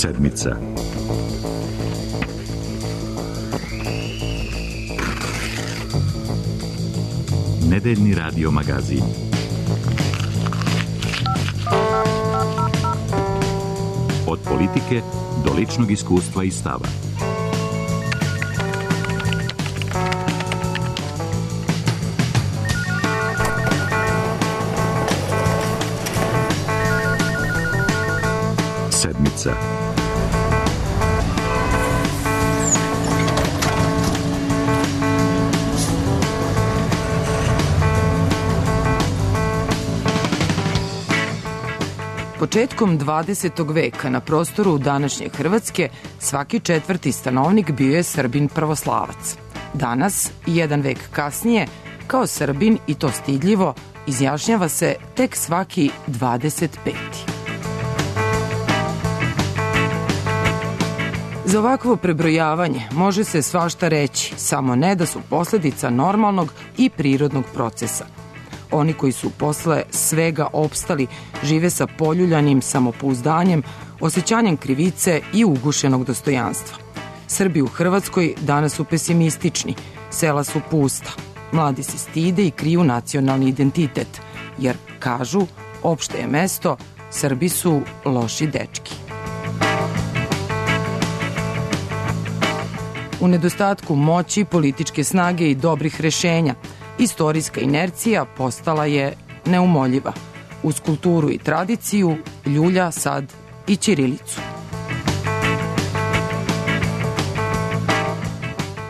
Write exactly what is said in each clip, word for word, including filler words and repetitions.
Sedmica. Nedeljni radio magazin. Od politike do ličnog iskustva i stava. Sedmica. Početkom dvadesetog veka na prostoru današnje Hrvatske svaki četvrti stanovnik bio je Srbin pravoslavac. Danas, jedan vek kasnije, kao Srbin, i to stidljivo, izjašnjava se tek svaki dvadeset peti. Za ovakvo prebrojavanje može se svašta reći, samo ne da su posledica normalnog i prirodnog procesa. Oni koji su posle svega opstali žive sa poljuljanim samopouzdanjem, osjećanjem krivice i ugušenog dostojanstva. Srbi u Hrvatskoj danas su pesimistični, sela su pusta, mladi se stide i kriju nacionalni identitet, jer, kažu, opšte je mesto, Srbi su loši dečki. U nedostatku moći, političke snage i dobrih rešenja, istorijska inercija postala je neumoljiva. Uz kulturu i tradiciju ljulja sad i ćirilicu.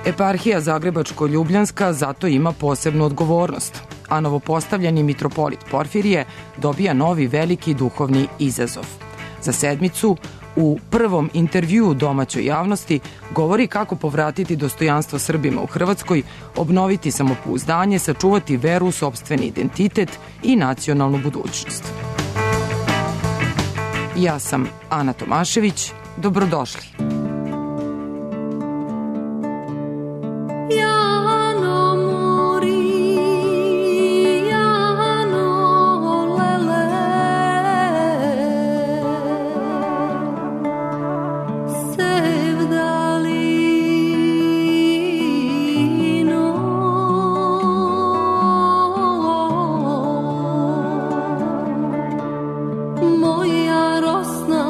Eparhija Zagrebačko-Ljubljanska zato ima posebnu odgovornost, a novopostavljeni mitropolit Porfirije dobija novi veliki duhovni izazov. Za Sedmicu u prvom intervjuu domaćoj javnosti govori kako povratiti dostojanstvo Srbima u Hrvatskoj, obnoviti samopouzdanje, sačuvati veru, sopstveni identitet i nacionalnu budućnost. Ja sam Ana Tomašević, dobrodošli. Moja rosna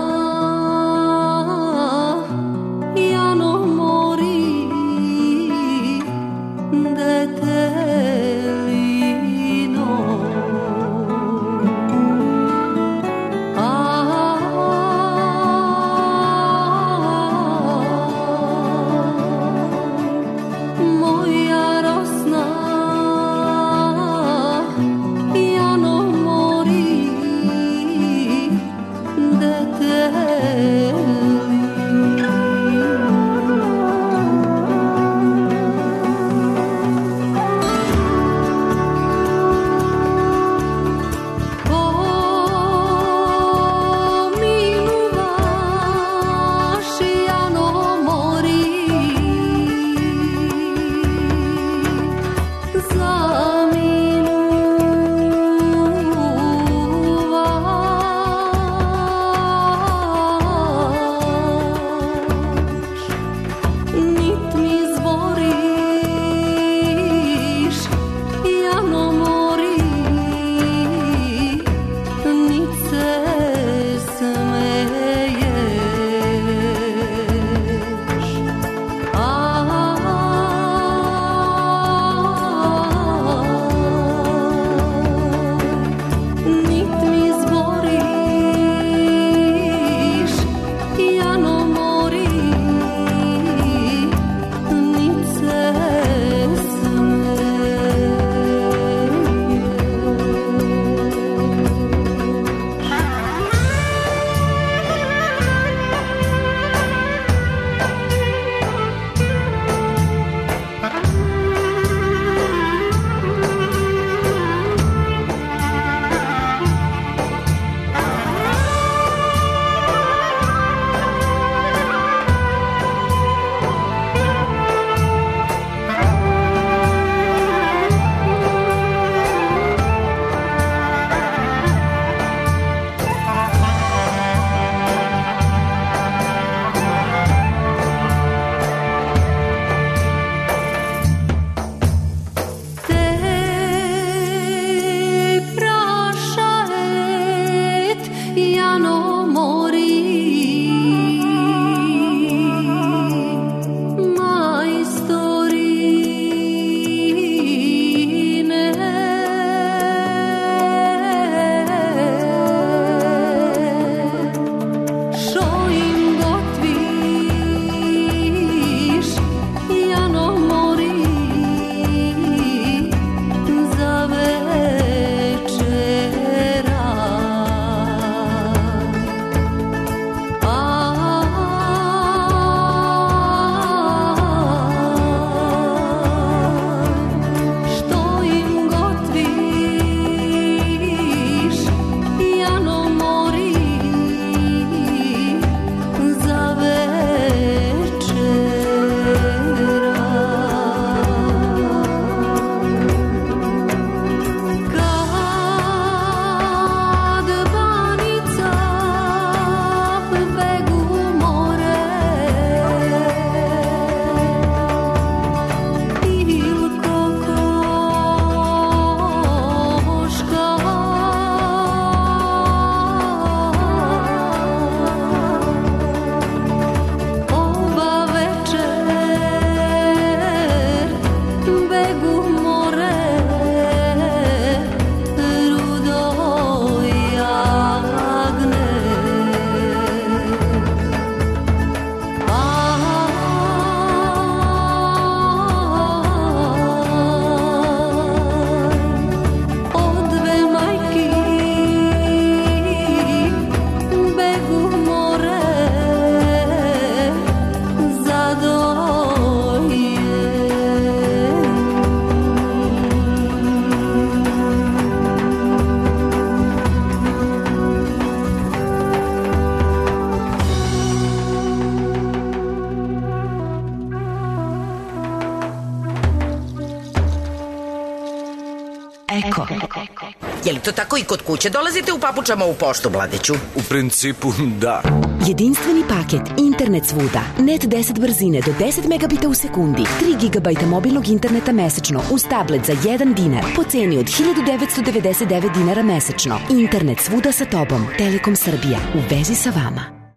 Je li to tako i kod kuće? Dolazite u papučama u poštu, Vladiću? U principu, da. Jedinstveni paket, internet svuda, net deset brzine do deset megabita u sekundi, tri gigabajta mobilnog interneta mesečno uz tablet za jedan dinar po ceni od hiljadu devetsto devedeset devet dinara mesečno. Internet svuda sa tobom. Telekom Srbija. U vezi sa vama.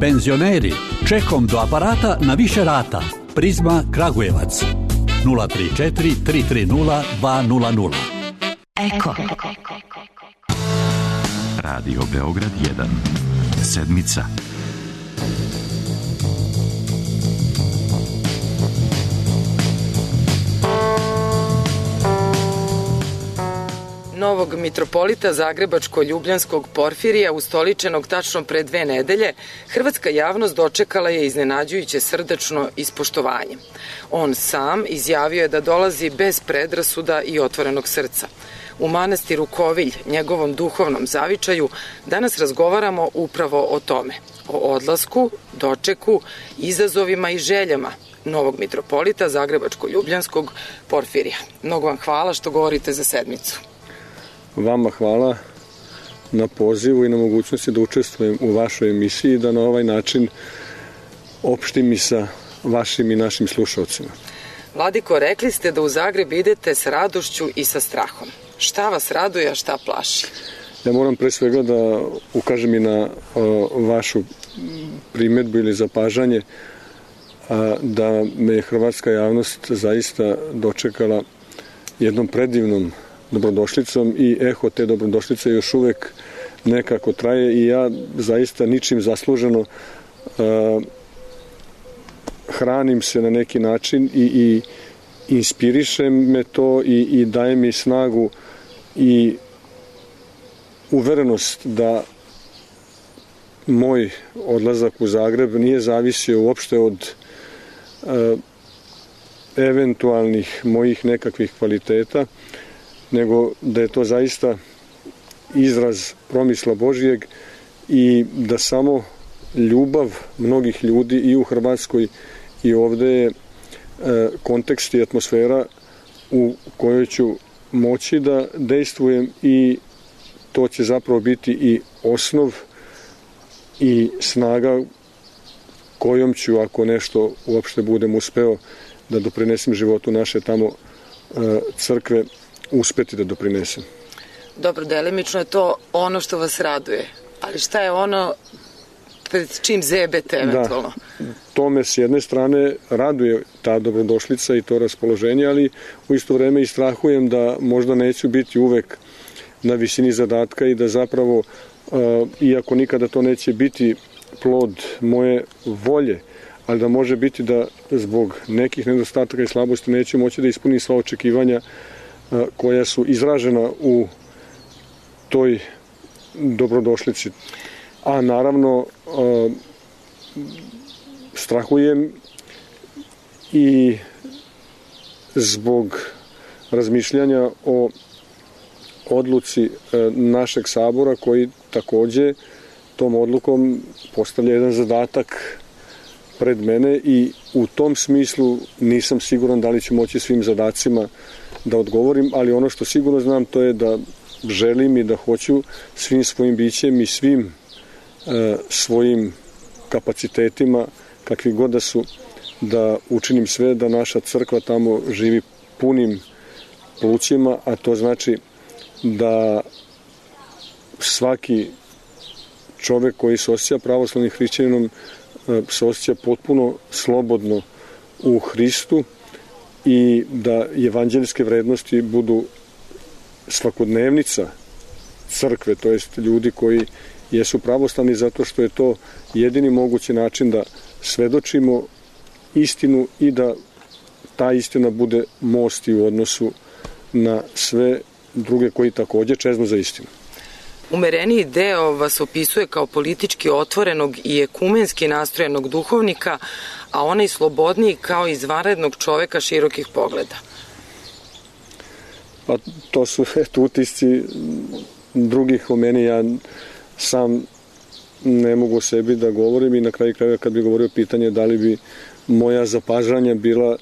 Penzioneri, čekom do aparata na više rata. Prizma Kragujevac. nula tri četiri tri tri nula dva nula nula. Eko. Radio Beograd jedan. Sedmica. Novog mitropolita Zagrebačko-Ljubljanskog Porfirija, ustoličenog tačno pre dve nedelje, hrvatska javnost dočekala je iznenađujuće srdačno i s poštovanjem. On sam izjavio je da dolazi bez predrasuda i otvorenog srca. U manastiru Kovilj, njegovom duhovnom zavičaju, danas razgovaramo upravo o tome. O odlasku, dočeku, izazovima i željama novog mitropolita Zagrebačko-Ljubljanskog Porfirija. Mnogo vam hvala što govorite za sedmicu. Vama hvala na pozivu i na mogućnosti da učestvujem u vašoj emisiji i da na ovaj način opštim i sa vašim i našim slušalcima. Vladiko, rekli ste da u Zagreb idete s radošću i sa strahom. Šta vas raduje, a šta plaši? Ja moram pre svega da ukažem i na o, vašu primedbu ili zapažanje a, da me hrvatska javnost zaista dočekala jednom predivnom dobrodošlicom i eho te dobrodošlice još uvek nekako traje i ja zaista ničim zasluženo uh, hranim se na neki način i, i inspiriše me to i, i daje mi snagu i uverenost da moj odlazak u Zagreb nije zavisio uopšte od uh, eventualnih mojih nekakvih kvaliteta, nego da je to zaista izraz promisla Božijeg i da samo ljubav mnogih ljudi i u Hrvatskoj i ovde je e, kontekst i atmosfera u kojoj ću moći da dejstvujem i to će zapravo biti i osnov i snaga kojom ću, ako nešto uopšte budem uspeo da doprinesem životu naše tamo e, crkve, uspeti da doprinesem. Dobro, delimično je to ono što vas raduje, ali šta je ono pred čim zebete eventualno? Da, to me s jedne strane raduje ta dobrodošlica i to raspoloženje, ali u isto vreme i strahujem da možda neću biti uvek na visini zadatka i da zapravo, iako nikada to neće biti plod moje volje, ali da može biti da zbog nekih nedostataka i slabosti neću moći da ispunim sva očekivanja koja su izražena u toj dobrodošlici. A naravno strahujem i zbog razmišljanja o odluci našeg sabora koji takođe tom odlukom postavlja jedan zadatak pred mene i u tom smislu nisam siguran da li ću moći svim zadacima da odgovorim, ali ono što sigurno znam to je da želim i da hoću svim svojim bićem i svim e, svojim kapacitetima, kakvi god da su, da učinim sve da naša crkva tamo živi punim plućima, a to znači da svaki čovek koji se osjeća pravoslavnim hrišćaninom se osjeća potpuno slobodno u Hristu i da evanđeljske vrednosti budu svakodnevnica crkve, to jest ljudi koji jesu pravoslavni, zato što je to jedini mogući način da svedočimo istinu i da ta istina bude most i u odnosu na sve druge koji takođe čeznu za istinu. Umereniji deo vas opisuje kao politički otvorenog i ekumenski nastrojenog duhovnika, a onaj slobodniji kao izvanrednog čoveka širokih pogleda. Pa to su eto, utisci drugih o meni. Ja sam ne mogu o sebi da govorim i na kraju krajeva kad bi govorio pitanje da li bi moja zapažanja bila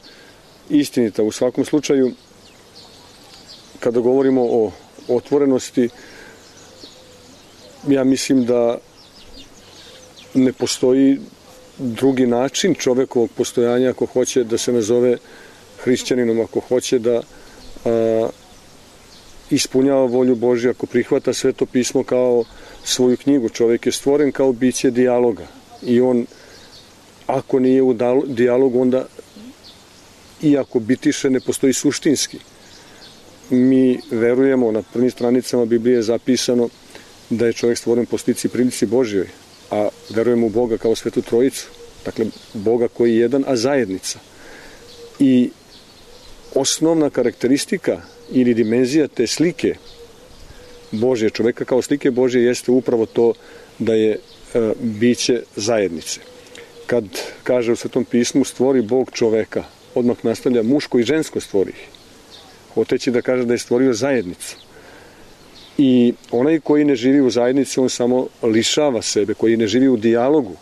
istinita. U svakom slučaju, kada govorimo o otvorenosti, ja mislim da ne postoji drugi način čovekovog postojanja ako hoće da se nazove hrišćaninom, ako hoće da a, ispunjava volju Božju, ako prihvata Sveto pismo kao svoju knjigu. Čovjek je stvoren kao biće dijaloga i on, ako nije u dijalogu, onda iako bitiše, ne postoji suštinski. Mi verujemo, na prvim stranicama Biblije je zapisano da je čovjek stvoren po slici i prilici Božjoj, a verujemo u Boga kao Svetu Trojicu, dakle Boga koji je jedan, a zajednica. I osnovna karakteristika ili dimenzija te slike Božje, čoveka kao slike Božje, jeste upravo to da je e, biće zajednice. Kad kaže u Svetom pismu stvori Bog čoveka, odmah nastavlja muško i žensko stvori ih. Hoteći da kaže da je stvorio zajednicu. I onaj koji ne živi u zajednici, on samo lišava sebe, koji ne živi u dijalogu,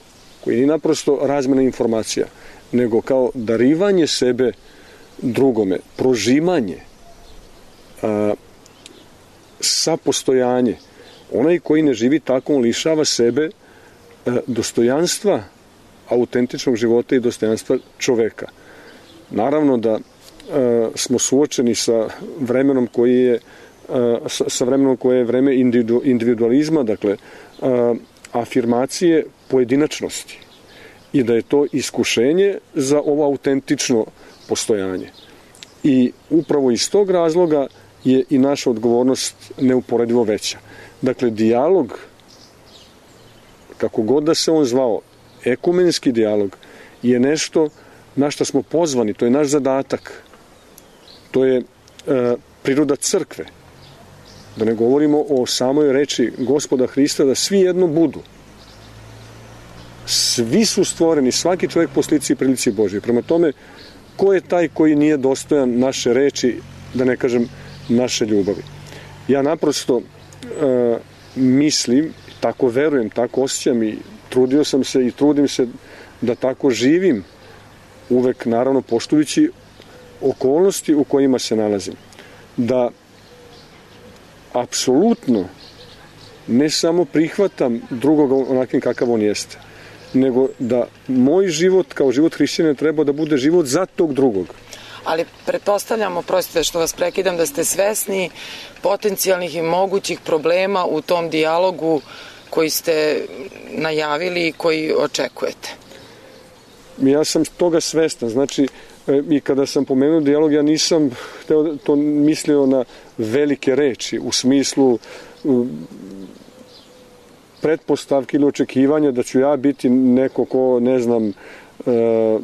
koji nije naprosto razmena informacija, nego kao darivanje sebe drugome, prožimanje, a, sapostojanje. Onaj koji ne živi tako, on lišava sebe a, dostojanstva autentičnog života i dostojanstva čoveka. Naravno da a, smo suočeni sa vremenom koji je Sa, sa vremenom koje je vreme individualizma, dakle a, afirmacije pojedinačnosti, i da je to iskušenje za ovo autentično postojanje. I upravo iz tog razloga je i naša odgovornost neuporedivo veća. Dakle, dijalog, kako god da se on zvao, ekumenski dijalog, je nešto na što smo pozvani, to je naš zadatak, to je a, priroda crkve. Da ne govorimo o samoj reči Gospoda Hrista, da svi jedno budu. Svi su stvoreni, svaki čovjek po slici i prilici Božje. Prema tome, ko je taj koji nije dostojan naše reči, da ne kažem naše ljubavi? Ja naprosto e, mislim, tako verujem, tako osjećam i trudio sam se i trudim se da tako živim, uvek naravno poštujući okolnosti u kojima se nalazim. Da apsolutno ne samo prihvatam drugoga onakim kakav on jeste, nego da moj život kao život hrišćanina treba da bude život za tog drugog. Ali pretpostavljamo, prostite što vas prekidam, da ste svesni potencijalnih i mogućih problema u tom dijalogu koji ste najavili i koji očekujete. Ja sam toga svestan, znači i kada sam pomenuo dijalog, ja nisam to mislio na velike reči u smislu pretpostavki ili očekivanja da ću ja biti neko ko, ne znam,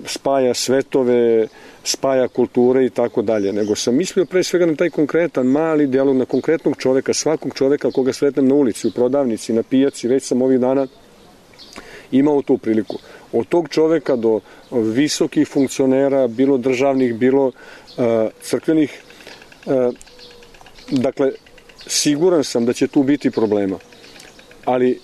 spaja svetove, spaja kulture i tako dalje, nego sam mislio pre svega na taj konkretan mali dijalog, na konkretnog čoveka, svakog čoveka koga sretnem na ulici, u prodavnici, na pijaci. Već sam ovih dana imao tu priliku. Od tog čoveka do visokih funkcionera, bilo državnih, bilo uh, crkvenih. Uh, dakle, siguran sam da će tu biti problema. Ali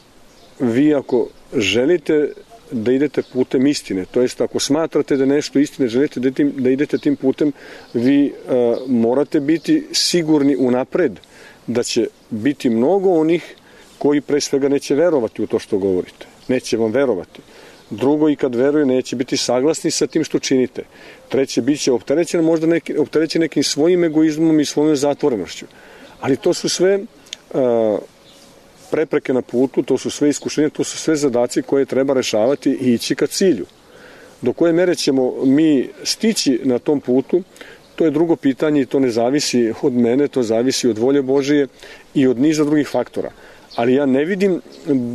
vi ako želite da idete putem istine, to jest ako smatrate da nešto istine, želite da, tim, da idete tim putem, vi uh, morate biti sigurni unapred da će biti mnogo onih koji pre svega neće verovati u to što govorite. Neće vam verovati. Drugo, i kad veruje, neće biti saglasni sa tim što činite. Treće, bit će opterećen, možda neki, opterećen nekim svojim egoizmom i svojom zatvorenošću. Ali to su sve uh, prepreke na putu, to su sve iskušenja, to su sve zadaci koje treba rešavati i ići ka cilju. Do koje mere ćemo mi stići na tom putu, to je drugo pitanje i to ne zavisi od mene, to zavisi od volje Božije i od niza drugih faktora. Ali ja ne vidim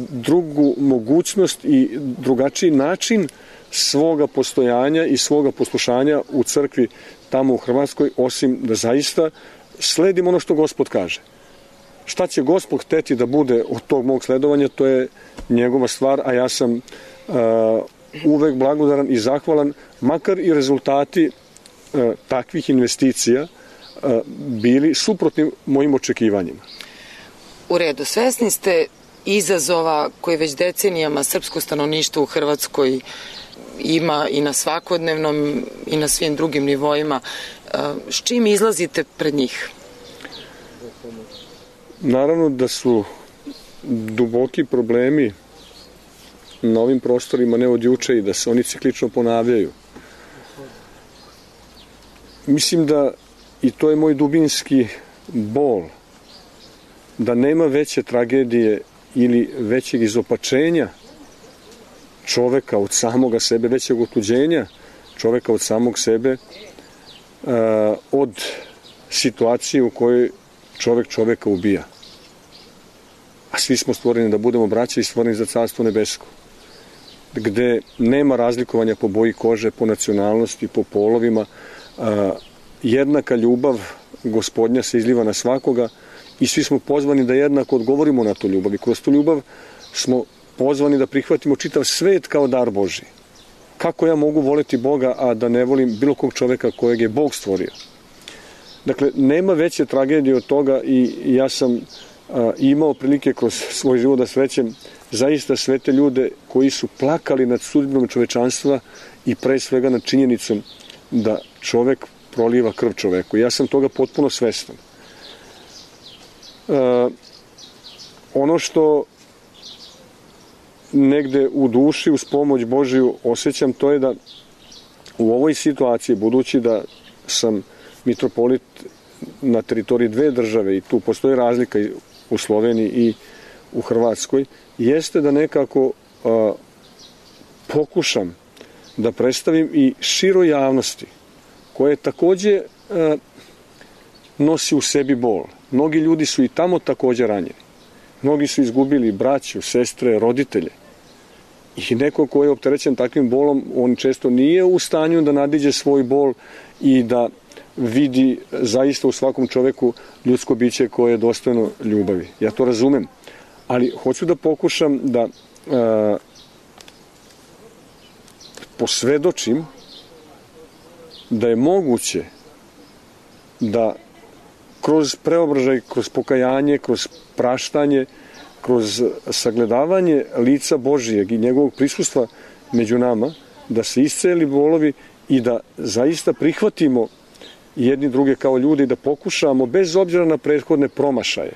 drugu mogućnost i drugačiji način svoga postojanja i svoga poslušanja u crkvi tamo u Hrvatskoj, osim da zaista sledim ono što Gospod kaže. Šta će Gospod hteti da bude od tog mog sledovanja, to je njegova stvar, a ja sam uh, uvek blagodaran i zahvalan, makar i rezultati uh, takvih investicija uh, bili suprotni mojim očekivanjima. U redu, svesni ste izazova koji već decenijama srpsko stanovništvo u Hrvatskoj ima i na svakodnevnom i na svim drugim nivoima. S čim izlazite pred njih? Naravno da su duboki problemi na ovim prostorima ne od juče i da se oni ciklično ponavljaju. Mislim da, i to je moj dubinski bol, da nema veće tragedije ili većeg izopačenja čoveka od samoga sebe, većeg otuđenja čoveka od samog sebe, uh, od situacije u kojoj čovek čoveka ubija. A svi smo stvoreni da budemo braća i stvoreni za Carstvo nebesko, gde nema razlikovanja po boji kože, po nacionalnosti, po polovima. Uh, jednaka ljubav Gospodnja se izliva na svakoga i svi smo pozvani da jednako odgovorimo na tu ljubav. I kroz tu ljubav smo pozvani da prihvatimo čitav svet kao dar Božji. Kako ja mogu voleti Boga, a da ne volim bilo kog čoveka kojeg je Bog stvorio? Dakle, nema veće tragedije od toga i ja sam a, imao prilike kroz svoj život da srećem zaista sve te ljude koji su plakali nad sudbinom čovečanstva i pre svega nad činjenicom da čovek proliva krv čoveku. Ja sam toga potpuno svestan. E, ono što negde u duši uz pomoć Božiju osjećam, to je da u ovoj situaciji, budući da sam mitropolit na teritoriji dve države i tu postoji razlika u Sloveniji i u Hrvatskoj, jeste da nekako a, pokušam da predstavim i široj javnosti, koje takođe a, nosi u sebi bol. Mnogi ljudi su i tamo takođe ranjeni. Mnogi su izgubili braću, sestre, roditelje. I neko ko je opterećen takvim bolom, on često nije u stanju da nadiđe svoj bol i da vidi zaista u svakom čoveku ljudsko biće koje je dostojno ljubavi. Ja to razumem. Ali hoću da pokušam da a, posvedočim da je moguće da kroz preobražaj, kroz pokajanje, kroz praštanje, kroz sagledavanje lica Božijeg i njegovog prisustva među nama, da se isceli bolovi i da zaista prihvatimo jedni druge kao ljudi i da pokušamo, bez obzira na prethodne promašaje,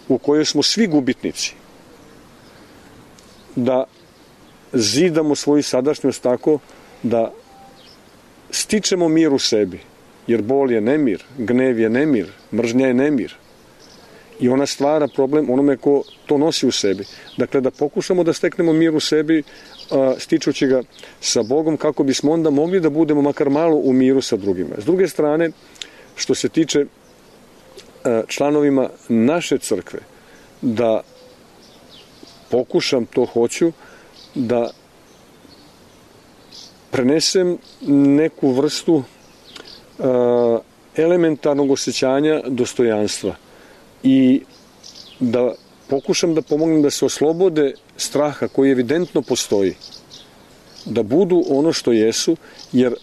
u kojoj smo svi gubitnici, da zidamo svoju sadašnjost tako da stičemo mir u sebi, jer bol je nemir, gnev je nemir, mržnja je nemir. I ona stvara problem onome ko to nosi u sebi. Dakle, da pokušamo da steknemo mir u sebi, stičući ga sa Bogom, kako bismo onda mogli da budemo makar malo u miru sa drugima. S druge strane, što se tiče članovima naše crkve, da pokušam, to hoću, da prenesem neku vrstu elementarnog osjećanja dostojanstva i da pokušam da pomognem da se oslobode straha koji evidentno postoji, da budu ono što jesu, jer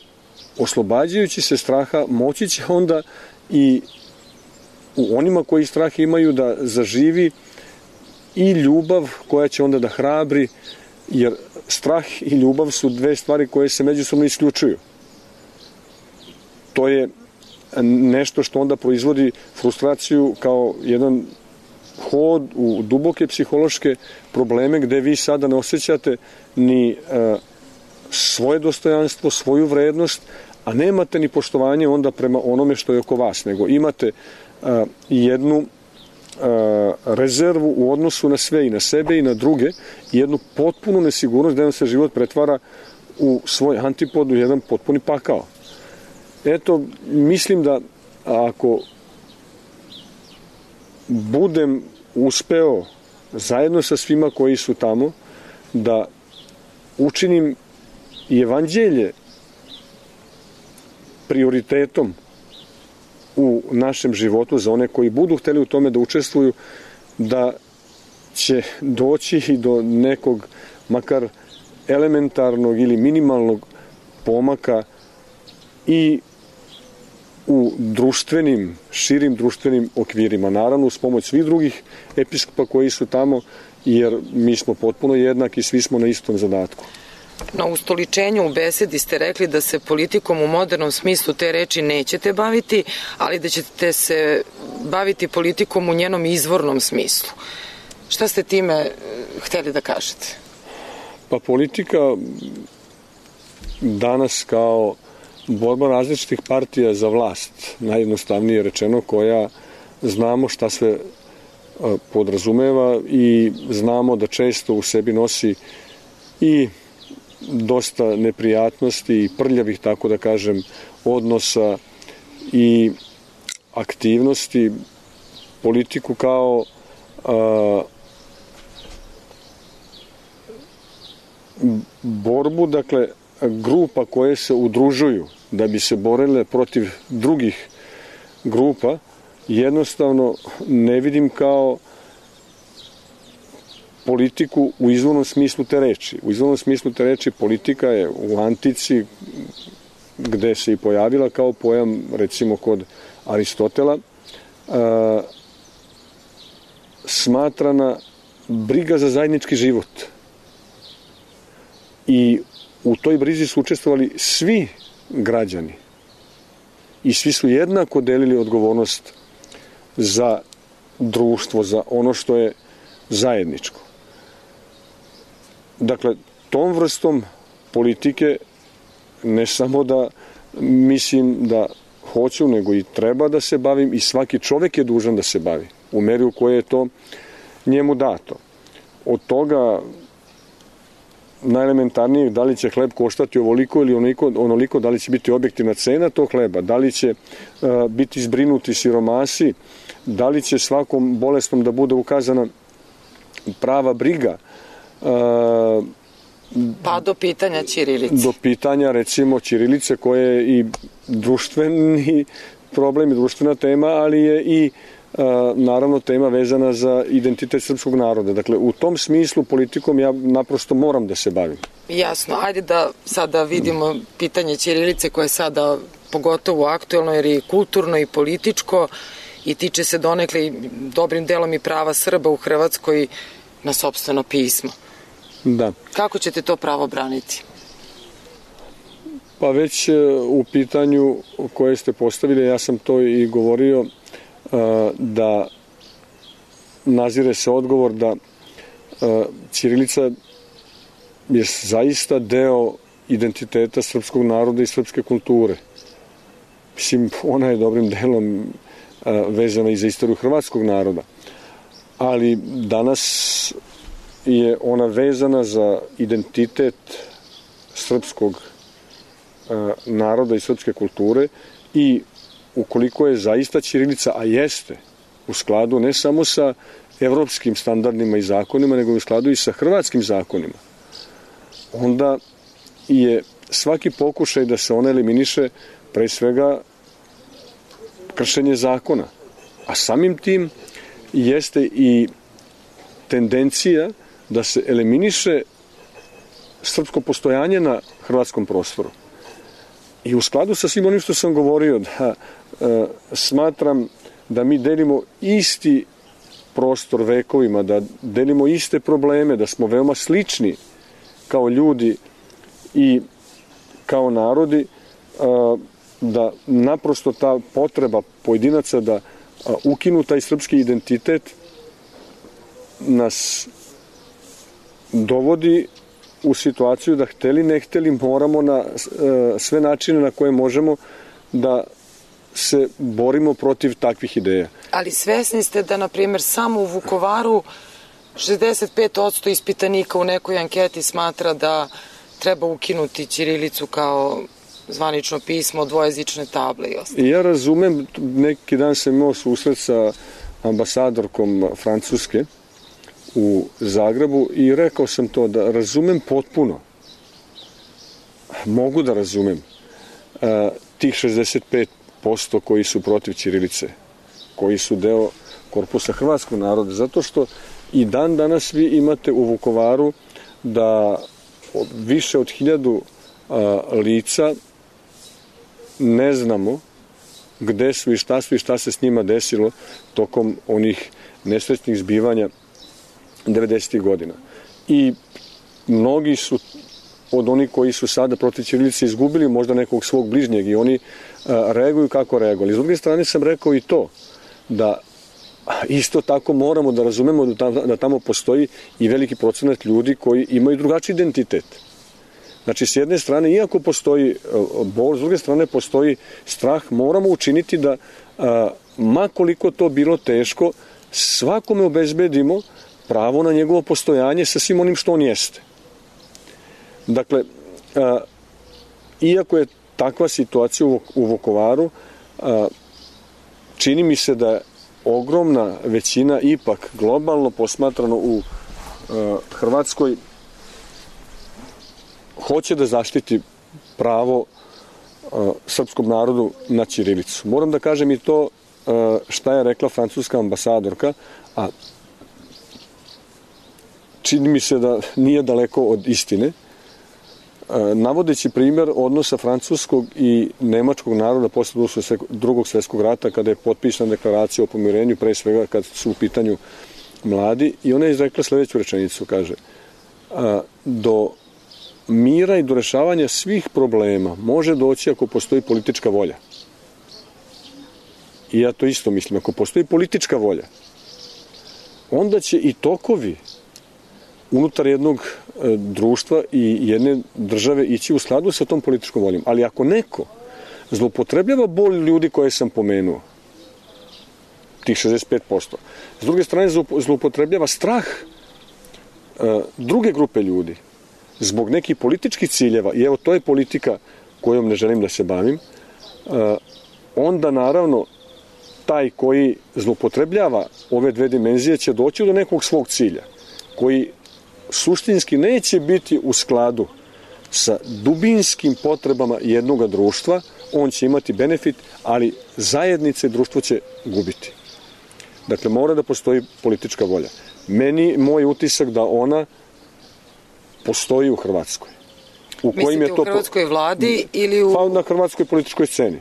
oslobađajući se straha moći će onda i u onima koji strah imaju da zaživi i ljubav koja će onda da hrabri, jer strah i ljubav su dve stvari koje se međusobno isključuju. To je nešto što onda proizvodi frustraciju kao jedan hod u duboke psihološke probleme gde vi sada ne osjećate ni uh, svoje dostojanstvo, svoju vrednost, a nemate ni poštovanje onda prema onome što je oko vas, nego imate uh, jednu uh, rezervu u odnosu na sve i na sebe i na druge i jednu potpunu nesigurnost da vam se život pretvara u svoj antipod, u jedan potpuni pakao. Eto, mislim da ako budem uspeo zajedno sa svima koji su tamo da učinim i evanđelje prioritetom u našem životu za one koji budu hteli u tome da učestvuju, da će doći i do nekog makar elementarnog ili minimalnog pomaka i u društvenim, širim društvenim okvirima. Naravno, uz pomoć svih drugih episkopa koji su tamo, jer mi smo potpuno jednaki, svi smo na istom zadatku. Na ustoličenju u besedi ste rekli da se politikom u modernom smislu te reči nećete baviti, ali da ćete se baviti politikom u njenom izvornom smislu. Šta ste time hteli da kažete? Pa politika danas kao borba različitih partija za vlast, najjednostavnije rečeno, koja znamo šta sve podrazumeva i znamo da često u sebi nosi i dosta neprijatnosti i prljavih, tako da kažem, odnosa i aktivnosti, politiku kao a, borbu, dakle, grupa koje se udružuju da bi se borile protiv drugih grupa, jednostavno ne vidim kao politiku u izvornom smislu te reči. U izvornom smislu te reči politika je u antici, gde se i pojavila kao pojam, recimo kod Aristotela, a, smatrana briga za zajednički život. I u toj brizi su učestvovali svi građani i svi su jednako delili odgovornost za društvo, za ono što je zajedničko. Dakle, tom vrstom politike ne samo da mislim da hoću, nego i treba da se bavim i svaki čovek je dužan da se bavi u meri u kojoj je to njemu dato. Od toga najelementarnijeg, da li će hleb koštati ovoliko ili onoliko, onoliko, da li će biti objektivna cena tog hleba, da li će uh, biti zbrinuti siromasi, da li će svakom bolesnom da bude ukazana prava briga. Uh, pa do pitanja ćirilice. Do pitanja, recimo, ćirilice, koje je i društveni problem i društvena tema, ali je i Uh, naravno tema vezana za identitet srpskog naroda. Dakle, u tom smislu politikom ja naprosto moram da se bavim. Jasno, ajde da sada vidimo pitanje ćirilice koje je sada pogotovo aktuelno jer je kulturno i političko i tiče se donekle i dobrim delom i prava Srba u Hrvatskoj na sopstveno pismo. Da. Kako ćete to pravo braniti? Pa već u pitanju koje ste postavili, ja sam to i govorio, da nazire se odgovor da ćirilica je zaista deo identiteta srpskog naroda i srpske kulture. Mislim, ona je dobrim delom vezana i za istoriju hrvatskog naroda. Ali danas je ona vezana za identitet srpskog naroda i srpske kulture i ukoliko je zaista ćirilica, a jeste, u skladu ne samo sa evropskim standardima i zakonima, nego u skladu i sa hrvatskim zakonima, onda je svaki pokušaj da se ona eliminiše pre svega kršenje zakona. A samim tim jeste i tendencija da se eliminiše srpsko postojanje na hrvatskom prostoru. I u skladu sa svim onim što sam govorio, da e, smatram da mi delimo isti prostor vekovima, da delimo iste probleme, da smo veoma slični kao ljudi i kao narodi, e, da naprosto ta potreba pojedinaca da a, ukinu taj srpski identitet nas dovodi u situaciju da hteli ne hteli moramo na e, sve načine na koje možemo da se borimo protiv takvih ideja. Ali svesni ste da, na primjer, samo u Vukovaru šezdeset pet posto ispitanika u nekoj anketi smatra da treba ukinuti ćirilicu kao zvanično pismo, dvojezične table i ostalo. Ja razumem, neki dan sam imao susret sa ambasadorkom Francuske u Zagrebu i rekao sam to da razumem potpuno, mogu da razumem a, tih šezdeset pet posto koji su protiv ćirilice, koji su deo korpusa hrvatskog naroda, zato što i dan danas vi imate u Vukovaru da više od hiljadu a, lica ne znamo gde su i šta su i šta se s njima desilo tokom onih nesrećnih zbivanja devedesetih godina. I mnogi su od onih koji su sada protiv ćirilice izgubili možda nekog svog bližnjeg i oni a, reaguju kako reaguju. Ali s druge strane sam rekao i to, da isto tako moramo da razumemo da tamo, da tamo postoji i veliki procenat ljudi koji imaju drugačiji identitet. Znači, s jedne strane, iako postoji bol, s druge strane postoji strah, moramo učiniti da, a, ma koliko to bilo teško, svakome obezbedimo pravo na njegovo postojanje sa svim onim što on jeste. Dakle, a, iako je takva situacija u, u Vukovaru, a, čini mi se da je ogromna većina ipak globalno posmatrano u a, Hrvatskoj hoće da zaštiti pravo a, srpskom narodu na ćirilicu. Moram da kažem i to a, šta je rekla francuska ambasadorka, a čini mi se da nije daleko od istine, a, navodeći primjer odnosa francuskog i nemačkog naroda posle drugog svjetskog rata, kada je potpisana deklaracija o pomirenju, pre svega kad su u pitanju mladi, i ona je izrekla sledeću rečenicu, kaže, a, do mira i do rešavanja svih problema može doći ako postoji politička volja. I ja to isto mislim. Ako postoji politička volja, onda će i tokovi unutar jednog e, društva i jedne države ići u skladu sa tom političkom voljom. Ali ako neko zloupotrebljava bol ljudi koje sam pomenuo, tih šezdeset pet posto, s druge strane zloupotrebljava strah e, druge grupe ljudi, zbog nekih političkih ciljeva, i evo to je politika kojom ne želim da se bavim, onda naravno taj koji zloupotrebljava ove dve dimenzije će doći do nekog svog cilja, koji suštinski neće biti u skladu sa dubinskim potrebama jednoga društva. On će imati benefit, ali zajednice i društvo će gubiti. Dakle, mora da postoji politička volja. Meni, moj utisak da ona postoji u Hrvatskoj. U kojim je to u hrvatskoj vladi ili u... Pa na hrvatskoj političkoj sceni.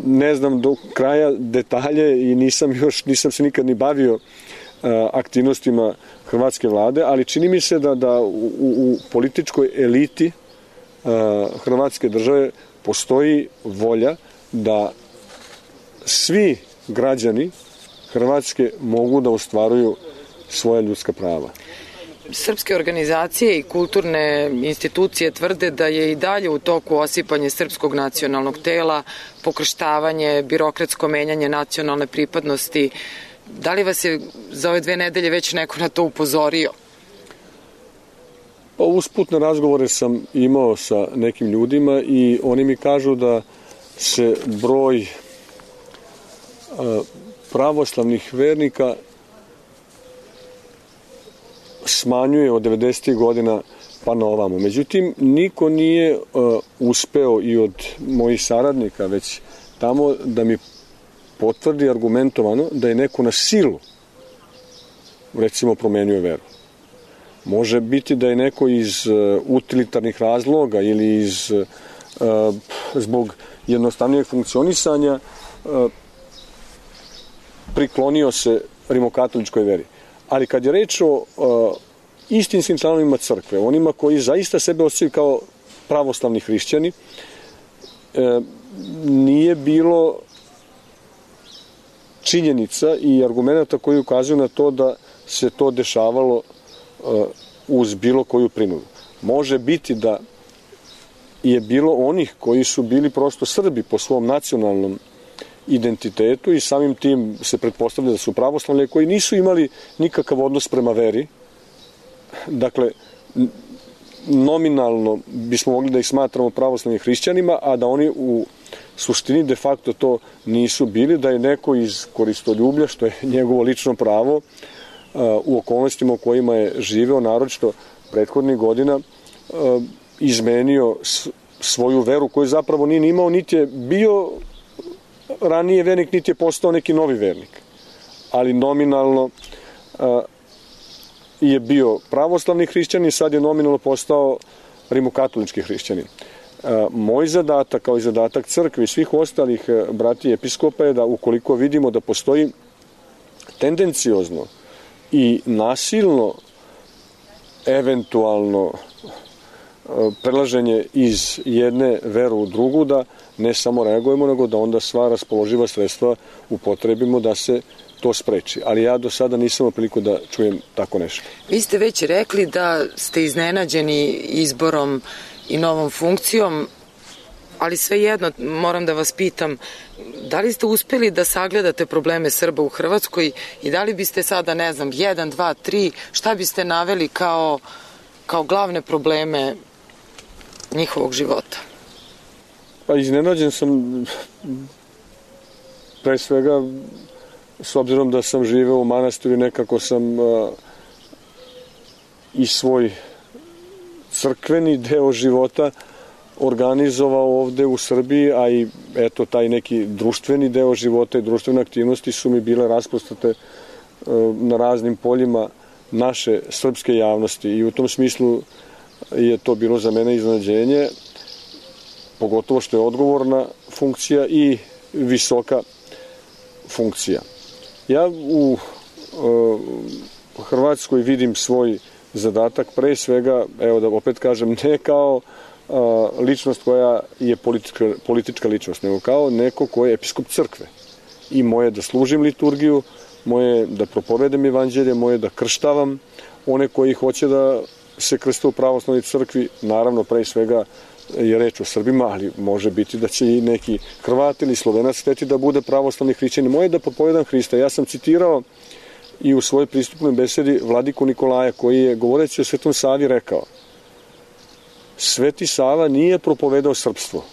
Ne znam do kraja detalje i nisam još, nisam se nikad ni bavio aktivnostima hrvatske vlade, ali čini mi se da, da u, u političkoj eliti hrvatske države postoji volja da svi građani Hrvatske mogu da ostvaruju svoja ljudska prava. Srpske organizacije i kulturne institucije tvrde da je i dalje u toku osipanje srpskog nacionalnog tela, pokrštavanje, birokratsko menjanje nacionalne pripadnosti. Da li vas je za ove dve nedelje već neko na to upozorio? Pa usputne razgovore sam imao sa nekim ljudima i oni mi kažu da se broj pravoslavnih vernika smanjuje od devedesetih godina pa na ovamo. Međutim, niko nije uh, uspeo i od mojih saradnika već tamo da mi potvrdi argumentovano da je neko na silu recimo promenio veru. Može biti da je neko iz uh, utilitarnih razloga ili iz uh, zbog jednostavnijeg funkcionisanja uh, priklonio se rimokatoličkoj veri. Ali kad je reč o uh, istinskim članovima crkve, onima koji zaista sebe osjećaju kao pravoslavni hrišćani, e, nije bilo činjenica i argumenta koji ukazuju na to da se to dešavalo uh, uz bilo koju prinudu. Može biti da je bilo onih koji su bili prosto Srbi po svom nacionalnom identitetu i samim tim se pretpostavlja da su pravoslavni, koji nisu imali nikakav odnos prema veri. Dakle, nominalno bismo mogli da ih smatramo pravoslavnim hrišćanima, a da oni u suštini de facto to nisu bili, da je neko iz koristoljublja, što je njegovo lično pravo, u okolnostima u kojima je živeo, naročito prethodnih godina, izmenio svoju veru koju zapravo nije imao, niti je bio ranije vernik, niti je postao neki novi vernik. Ali nominalno je bio pravoslavni hrišćanin, sad je nominalno postao rimokatolički hrišćanin. Moj zadatak, kao i zadatak crkve i svih ostalih brati episkopa, je da ukoliko vidimo da postoji tendenciozno i nasilno eventualno prelaženje iz jedne veru u drugu, da ne samo reagujemo, nego da onda sva raspoloživa sredstva upotrebimo da se to spreči. Ali ja do sada nisam imao priliku da čujem tako nešto. Vi ste već rekli da ste iznenađeni izborom i novom funkcijom, ali svejedno moram da vas pitam, da li ste uspeli da sagledate probleme Srba u Hrvatskoj i da li biste sada, ne znam, jedan, dva, tri, šta biste naveli kao, kao glavne probleme njihovog života? Pa iznenađen sam pre svega s obzirom da sam živeo u manastiru i nekako sam uh, i svoj crkveni deo života organizovao ovde u Srbiji, a i eto taj neki društveni deo života i društvene aktivnosti su mi bile rasprostate uh, na raznim poljima naše srpske javnosti i u tom smislu je to bilo za mene iznenađenje, pogotovo što je odgovorna funkcija i visoka funkcija. Ja u uh, Hrvatskoj vidim svoj zadatak pre svega, evo da opet kažem, ne kao uh, ličnost koja je politička, politička ličnost, nego kao neko ko je episkop crkve. I moje da služim liturgiju, moje da propovedam evanđelje, moje da krštavam one koji hoće da se krste u pravoslavnoj crkvi, naravno pre svega je reč o Srbima, ali može biti da će i neki Hrvat ili Slovenac hteti da bude pravoslavni hrišćanin. Moje da propovedam Hrista. Ja sam citirao i u svojoj pristupnoj besedi vladiku Nikolaja, koji je, govoreći o Svetom Savi, rekao: Sveti Sava nije propovedao srpstvo,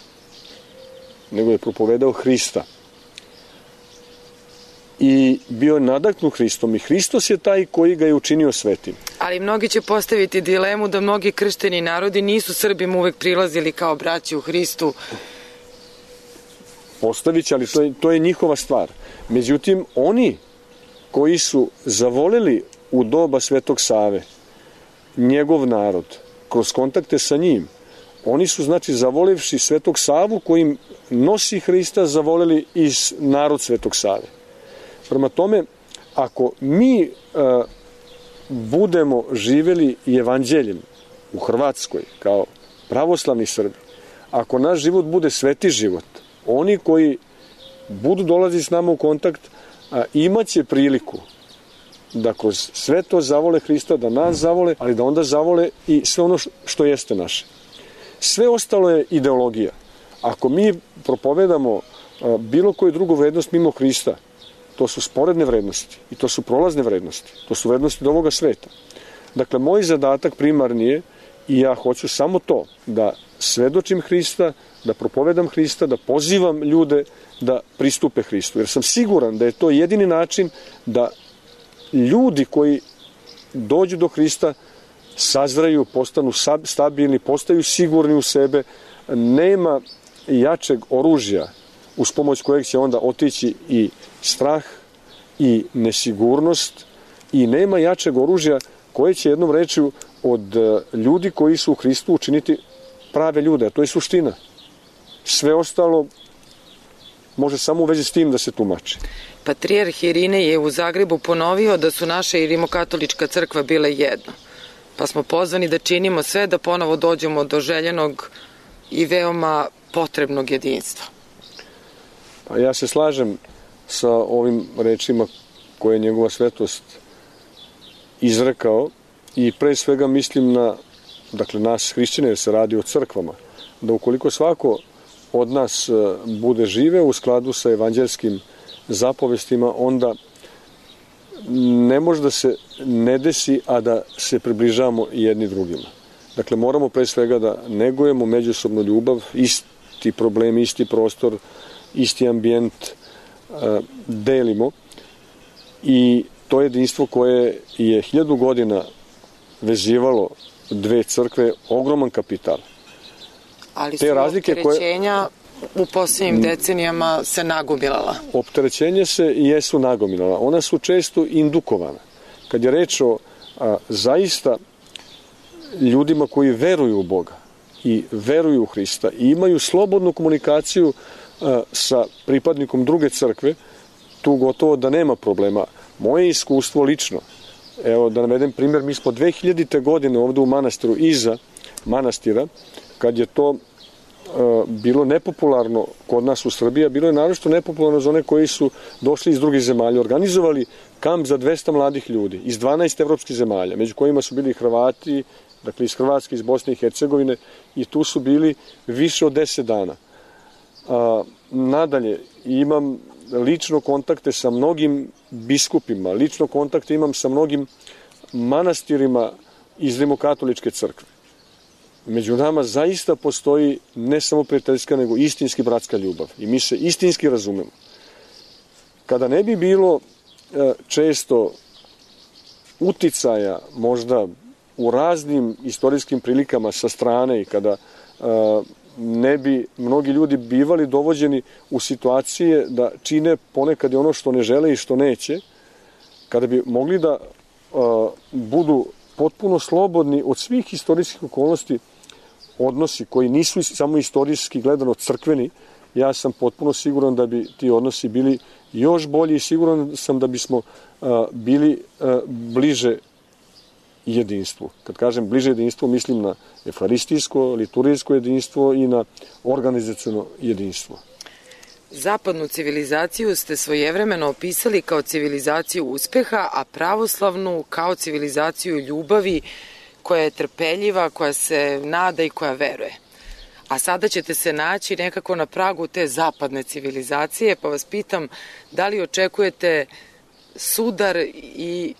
nego je propovedao Hrista. I bio je nadaknut Hristom i Hristos je taj koji ga je učinio svetim. Ali mnogi će postaviti dilemu da mnogi kršteni narodi nisu Srbima uvek prilazili kao braći u Hristu. Postavit će, ali to je, to je njihova stvar. Međutim, oni koji su zavoleli u doba Svetog Save njegov narod, kroz kontakte sa njim, oni su, znači, zavolevši Svetog Savu kojim nosi Hrista, zavoleli i narod Svetog Save. Prema tome, ako mi e, budemo živeli i evanđeljem u Hrvatskoj kao pravoslavni Srbi, ako naš život bude sveti život, oni koji budu dolaziti s nama u kontakt, a, imaće priliku da kroz sve to zavole Hrista, da nas zavole, ali da onda zavole i sve ono što jeste naše. Sve ostalo je ideologija. Ako mi propovedamo a, bilo koju drugu vrednost mimo Hrista, to su sporedne vrednosti i to su prolazne vrednosti. To su vrednosti do ovoga sveta. Dakle, moj zadatak primarni je, i ja hoću samo to, da svedočim Hrista, da propovedam Hrista, da pozivam ljude da pristupe Hristu. Jer sam siguran da je to jedini način da ljudi koji dođu do Hrista sazraju, postanu stabilni, postaju sigurni u sebe. Nema jačeg oružja uz pomoć kojeg će onda otići i strah i nesigurnost, i nema jačeg oružja koje će jednom rečju od ljudi koji su u Hristu učiniti prave ljude, a to je suština. Sve ostalo može samo u vezi s tim da se tumači. Patrijarh Irinej je u Zagrebu ponovio da su naša i rimokatolička crkva bile jedno, pa smo pozvani da činimo sve da ponovo dođemo do željenog i veoma potrebnog jedinstva. Pa ja se slažem sa ovim rečima koje je njegova svetost izrekao i pre svega mislim na, dakle, nas hrišćane, jer se radi o crkvama, da ukoliko svako od nas bude žive u skladu sa evanđelskim zapovestima, onda ne može da se ne desi, a da se približavamo jedni drugima. Dakle, moramo pre svega da negujemo međusobnu ljubav, isti problem, isti prostor, isti ambijent uh, delimo, i to jedinstvo koje je hiljadu godina vezivalo dve crkve, ogroman kapital. Ali su opterećenja koje u posljednjim decenijama se nagomilala. Opterećenje se i jesu nagomilala. Ona su često indukovana. Kad je reč o a, zaista ljudima koji veruju u Boga i veruju u Hrista i imaju slobodnu komunikaciju a, sa pripadnikom druge crkve, tu gotovo da nema problema. Moje iskustvo lično, evo da navedem primjer, mi smo dve hiljadite godine ovde u manastiru iza manastira, kad je to bilo nepopularno kod nas u Srbiji, a bilo je naročito nepopularno za one koji su došli iz drugih zemalja. Organizovali kamp za dvesta mladih ljudi iz dvanaest evropskih zemalja, među kojima su bili Hrvati, dakle iz Hrvatske, iz Bosne i Hercegovine, i tu su bili više od deset dana. A, nadalje, imam lično kontakte sa mnogim biskupima, lično kontakte imam sa mnogim manastirima iz Rimokatoličke crkve. Među nama zaista postoji ne samo prijateljska, nego istinski bratska ljubav. I mi se istinski razumemo. Kada ne bi bilo e, često uticaja možda u raznim istorijskim prilikama sa strane i kada e, ne bi mnogi ljudi bivali dovođeni u situacije da čine ponekad i ono što ne žele i što neće, kada bi mogli da e, budu potpuno slobodni od svih istorijskih okolnosti, odnosi koji nisu samo istorijski gledano crkveni, ja sam potpuno siguran da bi ti odnosi bili još bolji i siguran sam da bismo a, bili a, bliže jedinstvu. Kad kažem bliže jedinstvo, mislim na efaristijsko, liturgijsko jedinstvo i na organizaciono jedinstvo. Zapadnu civilizaciju ste svojevremeno opisali kao civilizaciju uspeha, a pravoslavnu kao civilizaciju ljubavi, koja je trpeljiva, koja se nada i koja veruje. A sada ćete se naći nekako na pragu te zapadne civilizacije, pa vas pitam da li očekujete sudar i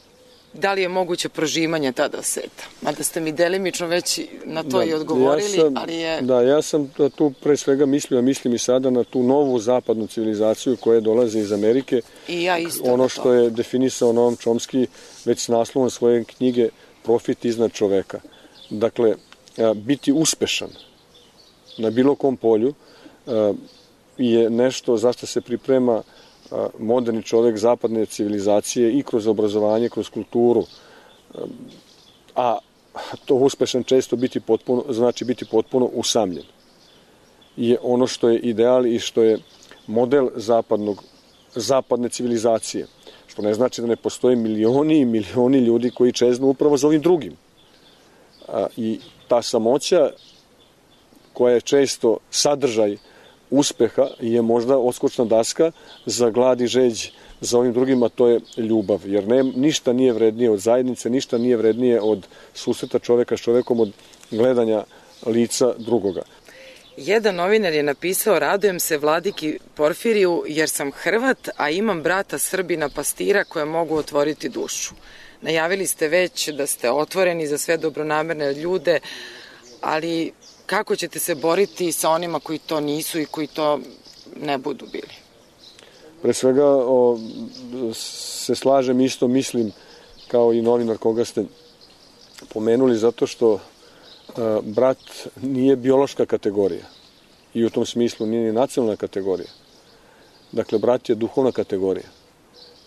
da li je moguće prožimanje tada sveta? Mada ste mi delimično već na to da, i odgovorili, ja sam, ali je... Da, ja sam tu pre svega mislio, a mislim i sada na tu novu zapadnu civilizaciju koja dolazi iz Amerike. I ja isto. Ono što je definisao Noam Chomsky već s naslovom svoje knjige Profit iznad čoveka. Dakle, biti uspešan na bilo kom polju je nešto zašto se priprema moderni čovek zapadne civilizacije i kroz obrazovanje, kroz kulturu. A to uspešan često biti potpuno, znači biti potpuno usamljen. Je ono što je ideal i što je model zapadnog, zapadne civilizacije. Što ne znači da ne postoje milioni i milioni ljudi koji čeznu upravo za ovim drugim. A, I ta samoća koja je često sadržaj uspeha je možda odskočna daska za glad i žeđ za ovim drugim, a to je ljubav. Jer ne, ništa nije vrednije od zajednice, ništa nije vrednije od susreta čoveka s čovekom, od gledanja lica drugoga. Jedan novinar je napisao: radujem se vladiki Porfiriju jer sam Hrvat, a imam brata Srbina pastira koje mogu otvoriti dušu. Najavili ste već da ste otvoreni za sve dobronamerne ljude, ali kako ćete se boriti sa onima koji to nisu i koji to ne budu bili? Pre svega o, se slažem, isto mislim kao i novinar koga ste pomenuli, zato što a, brat nije biološka kategorija i u tom smislu nije ni nacionalna kategorija. Dakle, brat je duhovna kategorija.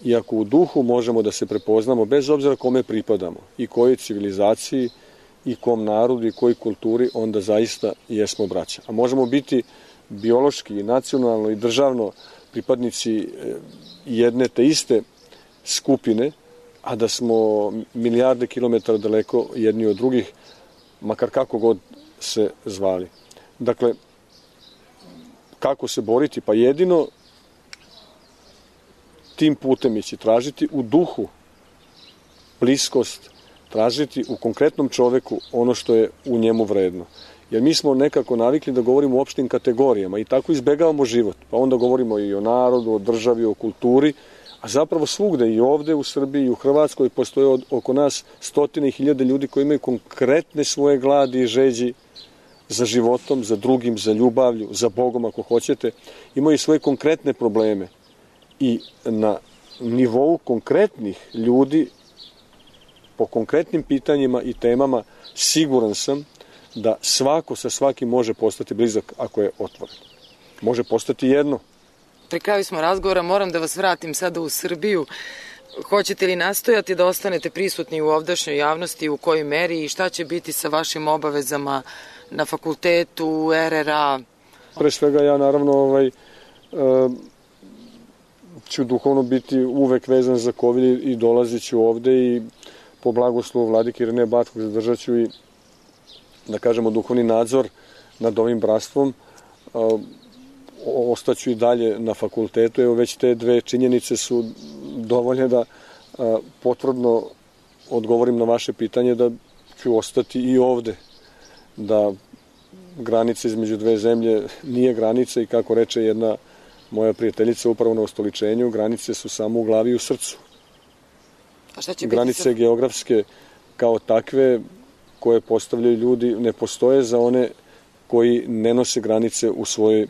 I ako u duhu možemo da se prepoznamo, bez obzira kome pripadamo, i kojoj civilizaciji, i kom narodu, i kojoj kulturi, onda zaista jesmo braća. A možemo biti biološki, i nacionalno, i državno pripadnici jedne te iste skupine, a da smo milijarde kilometara daleko jedni od drugih, makar kako god se zvali. Dakle, kako se boriti? Pa jedino tim putem ići, tražiti u duhu bliskost, tražiti u konkretnom čoveku ono što je u njemu vredno. Jer mi smo nekako navikli da govorimo o opštim kategorijama i tako izbegavamo život. Pa onda govorimo i o narodu, o državi, o kulturi, a zapravo svugde, i ovde u Srbiji i u Hrvatskoj, postoje od, oko nas stotine i hiljade ljudi koji imaju konkretne svoje gladi i žeđi za životom, za drugim, za ljubavlju, za Bogom ako hoćete. Imaju svoje konkretne probleme. I na nivou konkretnih ljudi, po konkretnim pitanjima i temama, siguran sam da svako sa svakim može postati blizak ako je otvoren. Može postati jedno. Pri kraju smo razgovora, moram da vas vratim sada u Srbiju. Hoćete li nastojati da ostanete prisutni u ovdašnjoj javnosti, u kojoj meri, i šta će biti sa vašim obavezama na fakultetu, er er a? Pre svega ja naravno ovaj, e, ću duhovno biti uvek vezan za Kovilj i dolazit ću ovde i po blagoslovu vladike Irineja Bačkog zadržat ću i da kažemo, duhovni nadzor nad ovim bratstvom. Ostaću i dalje na fakultetu. Evo, već te dve činjenice su dovoljne da potvrdno odgovorim na vaše pitanje da ću ostati i ovde, da granica između dve zemlje nije granica i, kako reče jedna moja prijateljica upravo na ustoličenju, granice su samo u glavi i u srcu. A šta će granice biti geografske kao takve koje postavljaju ljudi ne postoje za one koji ne nose granice u svojoj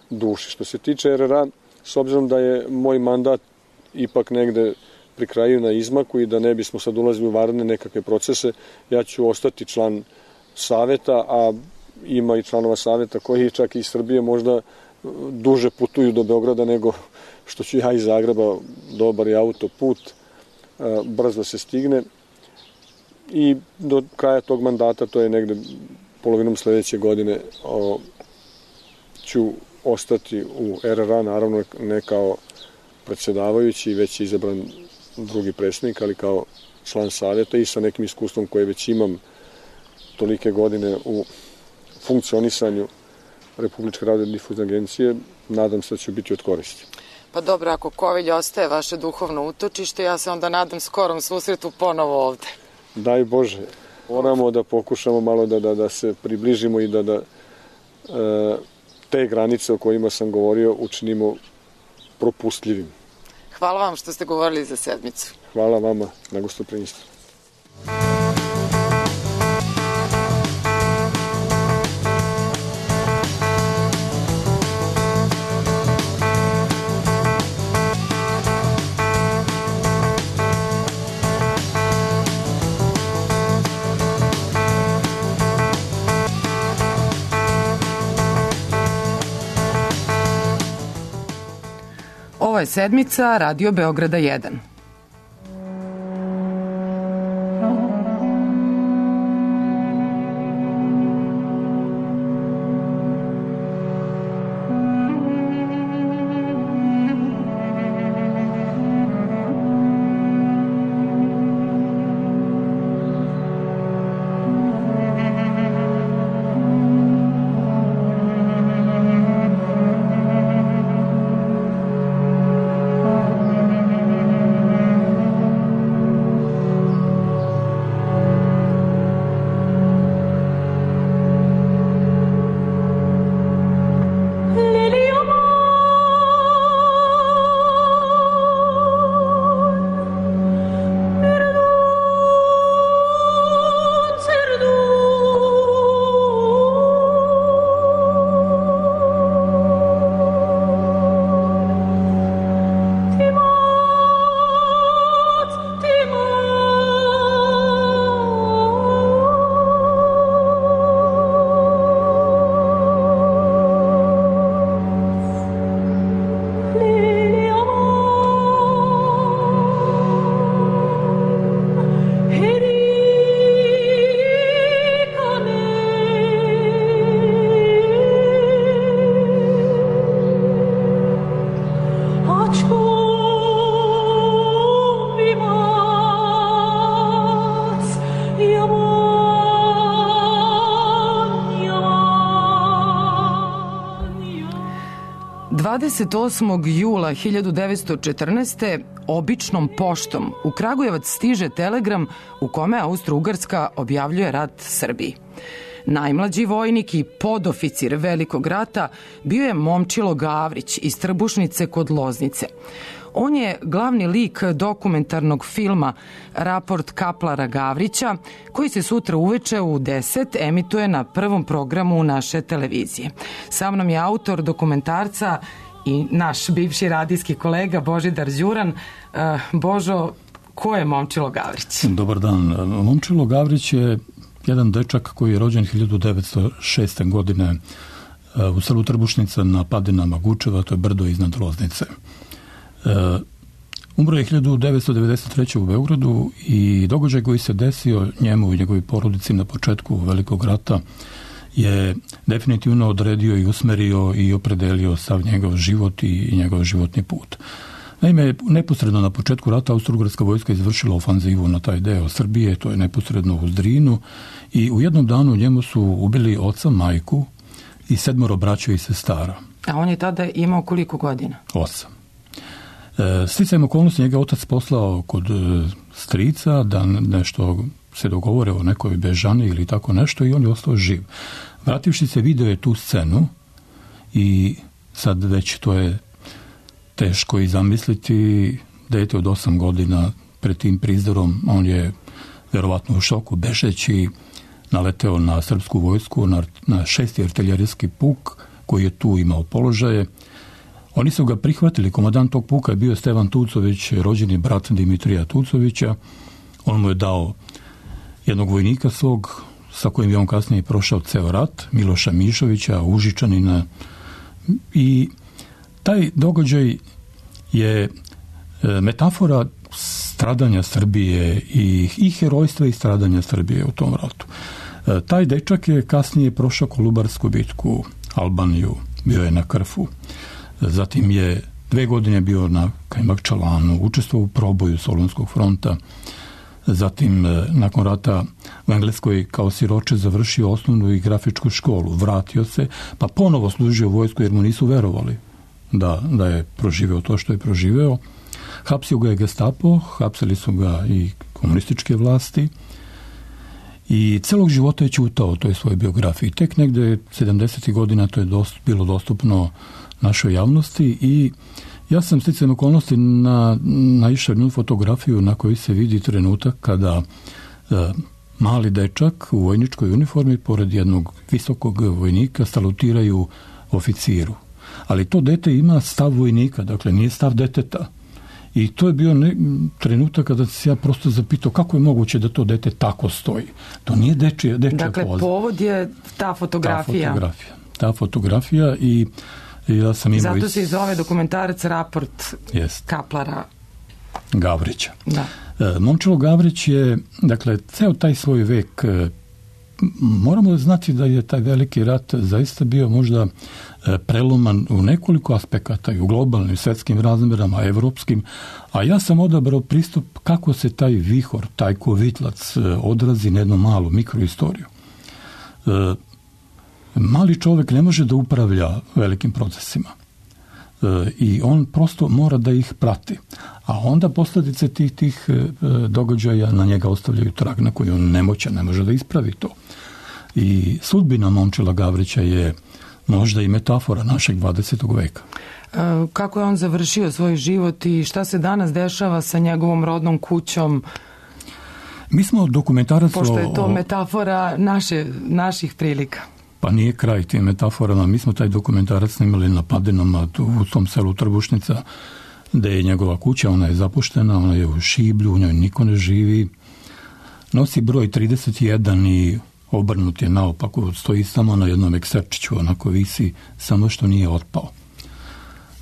duši. Što se tiče er er a, s obzirom da je moj mandat ipak negde pri kraju na izmaku i da ne bismo sad ulazili u vanredne nekakve procese, ja ću ostati član saveta, a ima i članova saveta koji čak i iz Srbije možda duže putuju do Beograda nego što ću ja iz Zagreba. Dobar je autoput, brzo se stigne i do kraja tog mandata, to je negde polovinom sledeće godine, o, ću ostati u er er a, naravno ne kao predsjedavajući, već izabran drugi predsjednik, ali kao član savjeta i sa nekim iskustvom koje već imam tolike godine u funkcionisanju Republičke radiodifuzne agencije, nadam se da će biti od koristi. Pa dobro, ako Kovilj ostaje vaše duhovno utočište, ja se onda nadam skorom susretu ponovo ovde. Daj Bože, moramo da pokušamo malo da, da, da se približimo i da, da e, te granice o kojima sam govorio učinimo propustljivim. Hvala vam što ste govorili za sedmicu. Hvala vama na gostoprimstvu. Ovo je sedmica Radio Beograda jedan. dvadeset osmog jula hiljadu devetsto četrnaeste. običnom poštom u Kragujevac stiže telegram u kome Austro-Ugarska objavljuje rat Srbiji. Najmlađi vojnik i podoficir Velikog rata bio je Momčilo Gavrić iz Trbušnice kod Loznice. On je glavni lik dokumentarnog filma Raport Kaplara Gavrića, koji se sutra uveče u deset emituje na prvom programu naše televizije. Sa mnom je autor dokumentarca i naš bivši radijski kolega Božidar Đuran. Božo, ko je Momčilo Gavrić? Dobar dan. Momčilo Gavrić je jedan dečak koji je rođen hiljadu devetsto šeste. godine u selu Trbušnica na padinama Gučeva, to je brdo iznad Loznice. Umro je hiljadu devetsto devedeset treće. u Beogradu i događaj koji se desio njemu i njegovoj porodici na početku Velikog rata je definitivno odredio i usmerio i opredelio sav njegov život i njegov životni put. Naime, neposredno na početku rata Austro-ugarska vojska izvršila ofanzivu na taj deo Srbije, to je neposredno u Drinu, i u jednom danu njemu su ubili oca, majku i sedmoro braća i sestara. A on je tada imao koliko godina? Osam. E, sticajem okolnosti njega otac poslao kod e, strica da nešto se dogovore o nekoj bežani ili tako nešto i on je ostao živ. Vrativši se, video je tu scenu i sad već to je teško i zamisliti. Dete od osam godina pred tim prizdorom, on je verovatno u šoku, bežeći naleteo na srpsku vojsku, na, na šesti artiljerijski puk koji je tu imao položaje. Oni su ga prihvatili, komandant tog puka je bio Stevan Tucović, rođeni brat Dimitrija Tucovića. On mu je dao jednog vojnika svog, sa kojim je on kasnije prošao ceo rat, Miloša Mišovića, Užičanina, i taj događaj je metafora stradanja Srbije i, i herojstva i stradanja Srbije u tom ratu. Taj dečak je kasnije prošao Kolubarsku bitku, Albaniju, bio je na Krfu. Zatim je dve godine bio na Kajmakčalanu, učestvovao u proboju Solunskog fronta. Zatim, nakon rata u Engleskoj kao siroče završio osnovnu i grafičku školu, vratio se, pa ponovo služio vojsku jer mu nisu verovali da, da je proživeo to što je proživeo. Hapsio ga je Gestapo, hapsili su ga i komunističke vlasti i celog života je ćutao o toj svojoj biografiji. Tek negde sedamdesetih godina to je dost, bilo dostupno našoj javnosti i ja sam sticajem okolnosti na, naišao jednu fotografiju na kojoj se vidi trenutak kada e, mali dečak u vojničkoj uniformi pored jednog visokog vojnika salutiraju oficiru. Ali to dete ima stav vojnika, dakle nije stav deteta. I to je bio ne, trenutak kada se ja prosto zapitao kako je moguće da to dete tako stoji. To nije dečija, dečija dakle, poza. Povod je ta fotografija. Ta fotografija. Ta fotografija i ja sam imao... Zato se i zove dokumentarac Raport jest. Kaplara Gavrića. Da. E, Momčilo Gavrić je, dakle, ceo taj svoj vek, e, moramo znati da je taj veliki rat zaista bio možda e, preloman u nekoliko aspekata i u globalnim svetskim razmerama, evropskim, a ja sam odabrao pristup kako se taj vihor, taj kovitlac e, odrazi na jednu malu mikroistoriju. E, Mali čovjek ne može da upravlja velikim procesima e, i on prosto mora da ih prati. A onda posljedice tih, tih e, događaja na njega ostavljaju trag na koji on nemoćan, ne može da ispravi to. I sudbina Momčila Gavrića je možda i metafora našeg dvadesetog veka. E, kako je on završio svoj život i šta se danas dešava sa njegovom rodnom kućom? Mi smo dokumentarac... Pošto je to metafora naše, naših prilika. Pa nije kraj tim metaforama. Mi smo taj dokumentarac snimali na Padinama u tom selu Trbušnica, gde je njegova kuća, ona je zapuštena, ona je u šiblju, u njoj niko ne živi. Nosi broj trideset jedan i obrnut je naopako, stoji samo na jednom ekserčiću, onako visi, samo što nije otpao.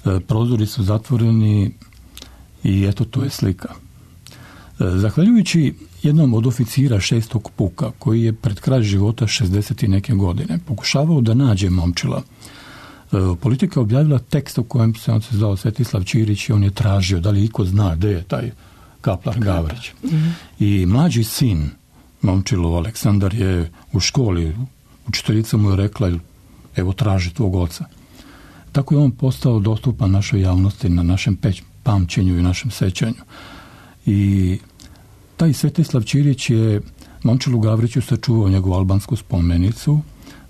E, prozori su zatvoreni i eto, to je slika. E, zahvaljujući jednom od oficira šestog puka, koji je pred kraj života šezdeset i neke godine pokušavao da nađe Momčila. E, Politika objavila tekst u kojem se on se zvao Svetislav Ćirić i on je tražio da li iko zna gde je taj Kaplar Gavrić. Mm-hmm. I mlađi sin Momčilov, Aleksandar, je u školi, učiteljica mu je rekla, evo traži tvog oca. Tako je on postao dostupan našoj javnosti, na našem peć, pamćenju i našem sećanju. I taj Svetislav Ćirić je Momčilu Gavriću sačuvao njegovu albansku spomenicu,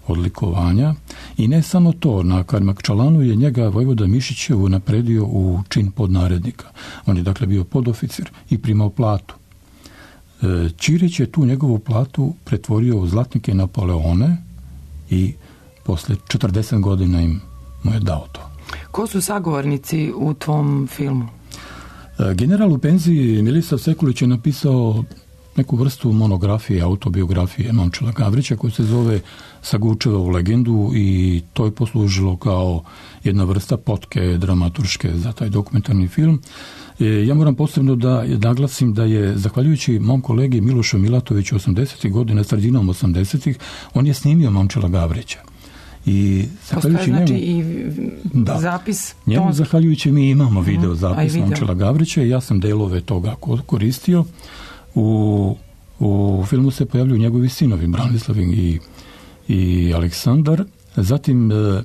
odlikovanja, i ne samo to, na Kajmakčalanu je njega vojvoda Mišićevu napredio u čin podnarednika. On je dakle bio podoficir i primao platu. Ćirić je tu njegovu platu pretvorio u zlatnike i Napoleone i posle četrdeset godina im mu je dao to. Ko su sagovornici u tvom filmu? General u penziji Milisav Sekulić je napisao neku vrstu monografije, autobiografije Momčila Gavrića koja se zove Sagučeva u legendu i to je poslužilo kao jedna vrsta potke dramaturške za taj dokumentarni film. Ja moram posebno da naglasim da je, zahvaljujući mom kolegi Milošu Milatoviću osamdesetih godina, sredinom osamdesetih, on je snimio Momčila Gavrića. I postoje znači i da, zapis njemu tonski. Zahvaljujući mi imamo video zapis Momčila Gavrića i ja sam delove toga koristio. U, u filmu se pojavljuju njegovi sinovi Branislav i, i Aleksandar, zatim e,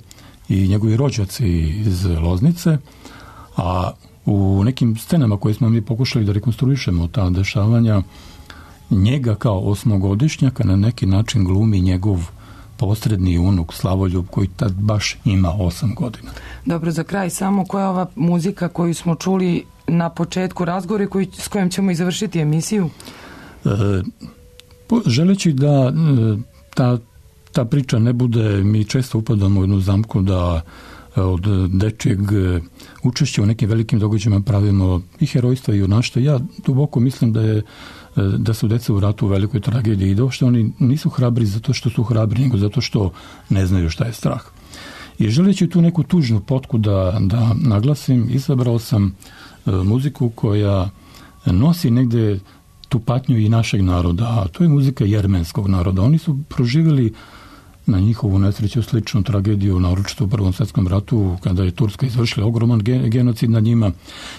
i njegovi rođaci iz Loznice, a u nekim scenama koje smo mi pokušali da rekonstruišemo ta dešavanja, njega kao osmogodišnjaka na neki način glumi njegov posredni unuk Slavoljub koji tad baš ima osam godina. Dobro, za kraj samo koja je ova muzika koju smo čuli na početku razgovora koji, s kojom ćemo i završiti emisiju? E, želeći da e, ta, ta priča ne bude, mi često upadamo u jednu zamku da od dečijeg učešća u nekim velikim događajima pravimo i herojstva i junaštva. Ja duboko mislim da je da su deca u ratu u velikoj tragediji i da uopšte oni nisu hrabri zato što su hrabri, nego zato što ne znaju šta je strah. I želeći tu neku tužnu potku da, da naglasim, izabrao sam e, muziku koja nosi negde tu patnju i našeg naroda, a to je muzika jermenskog naroda. Oni su proživjeli na njihovu nesreću sličnu tragediju, naročito u Prvom svjetskom ratu, kada je Turska izvršila ogroman genocid nad njima.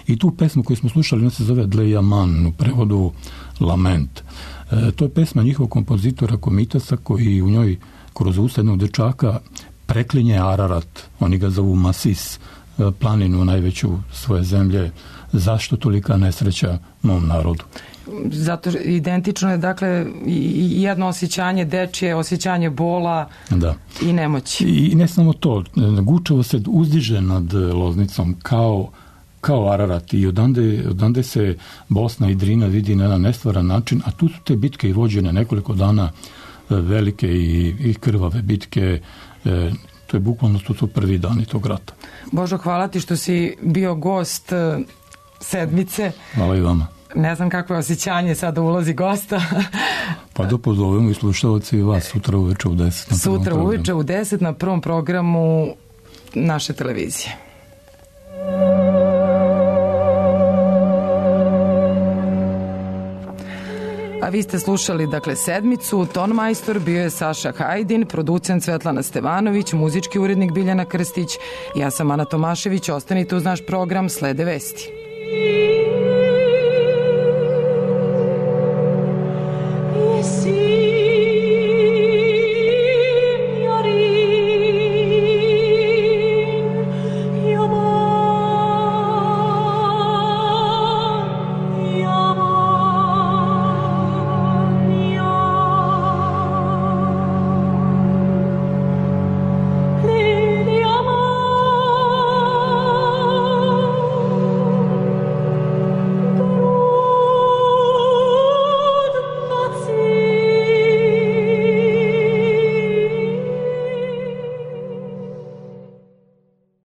I tu pesmu koju smo slušali, ona se zove Dlejaman, u prevodu Lament. E, to je pesma njihovog kompozitora Komitasa, koji u njoj kroz usta jednog dečaka preklinje Ararat, oni ga zovu Masis, planinu najveću svoje zemlje. Zašto tolika nesreća mom narodu? Zato identično je, dakle, i jedno osjećanje dečije, osjećanje bola da. I nemoći. I ne samo to, Gučevo se uzdiže nad Loznicom kao, kao Ararat i odande, odande se Bosna i Drina vidi na jedan nestvaran način, a tu su te bitke i vođene nekoliko dana, velike i, i krvave bitke. E, to je bukvalno to su prvi dani tog rata. Božo, hvala ti što si bio gost sedmice. Hvala i vama. Ne znam kakvo je osjećanje sada ulazi gosta. Pa da pozovemo i slušalci i vas sutra uveče u deset. Sutra uveče u deset na prvom programu naše televizije. A vi ste slušali, dakle, sedmicu. Tonmajstor bio je Saša Hajdin, producent Svetlana Stevanović, muzički urednik Biljana Krstić. Ja sam Ana Tomašević. Ostanite uz naš program, slede vesti.